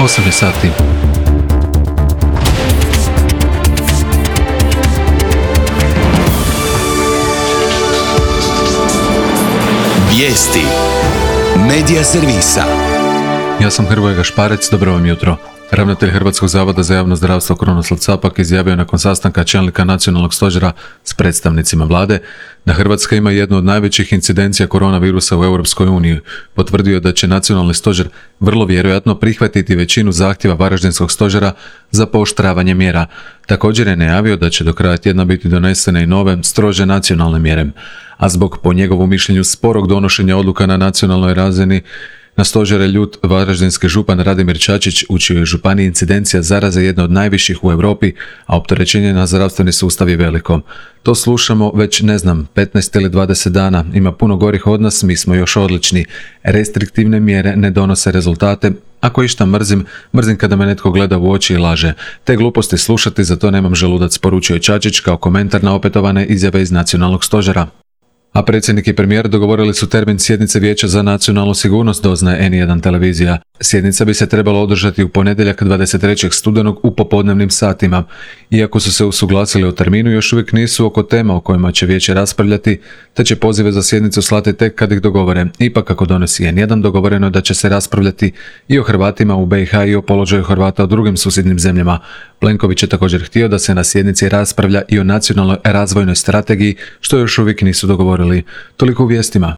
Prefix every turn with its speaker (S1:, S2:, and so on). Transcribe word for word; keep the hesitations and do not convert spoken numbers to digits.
S1: osam je sati.
S2: Vijesti Medija servisa.
S1: Ja sam Hrvoje Gašparec, dobro vam jutro. Ravnatelj Hrvatskog zavoda za javno zdravstvo Krunoslav Capak izjavio nakon sastanka čelnika nacionalnog stožera s predstavnicima vlade da Hrvatska ima jednu od najvećih incidencija koronavirusa u Europskoj uniji. Potvrdio da će nacionalni stožer vrlo vjerojatno prihvatiti većinu zahtjeva Varaždinskog stožera za pooštravanje mjera. Također je najavio da će do kraja tjedna biti donesene i nove, strože nacionalne mjere. A zbog, po njegovom mišljenju, sporog donošenja odluka na nacionalnoj razini, na stožer je ljut varaždinski župan Radimir Čačić, u čijoj županiji incidencija zaraze jedna od najviših u Europi, a opterećenje na zdravstveni sustav je veliko. To slušamo već, ne znam, petnaest ili dvadeset dana. Ima puno gorih od nas, mi smo još odlični. Restriktivne mjere ne donose rezultate. Ako išta mrzim, mrzim kada me netko gleda u oči i laže. Te gluposti slušati, za to nemam želudac, poručio je Čačić kao komentar na opetovane izjave iz nacionalnog stožera. A predsjednik i premijer dogovorili su termin sjednice Vijeća za nacionalnu sigurnost, doznaje en jedan televizija. Sjednica bi se trebala održati u ponedjeljak dvadeset trećeg studenog u popodnevnim satima. Iako su se usuglasili o terminu, još uvijek nisu oko tema o kojima će vijeće raspravljati, te će pozive za sjednicu slati tek kad ih dogovore. Ipak, kako donosi en jedan, dogovoreno je da će se raspravljati i o Hrvatima u be i ha i o položaju Hrvata u drugim susjednim zemljama. Plenković je također htio da se na sjednici raspravlja i o nacionalnoj razvojnoj strategiji, što još uvijek nisu dogovorili. Toliko u vijestima.